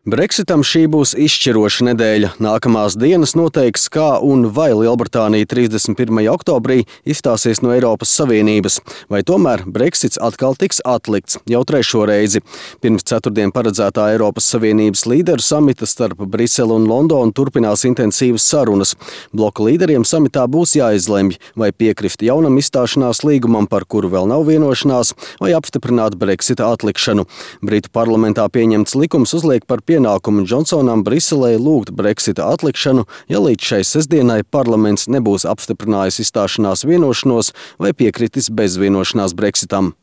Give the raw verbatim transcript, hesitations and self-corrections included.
Brexitam šī būs izšķiroša nedēļa. Nākamās dienas noteiks, kā un vai Lielbritānija trīsdesmit pirmajā oktobrī izstāsies no Eiropas Savienības, vai tomēr Brexits atkal tiks atlikts jau trešo reizi. Pirms ceturtdien paredzētā Eiropas Savienības līderu samita starp Briseli un Londonu turpinās intensīvas sarunas. Bloka līderiem samitā būs jāizlemj, vai piekrist jaunam izstāšanās līgumam, par kuru vēl nav vienošanās, vai apstiprināt Brexita atlikšanu. Britu parlamentā pieņemts likums uzliek par pienākumu Džonsonam Briselē lūgt Brexita atlikšanu, ja līdz šai sestdienai parlaments nebūs apstiprinājis izstāšanās vienošanos vai piekritis bez vienošanās Brexitam.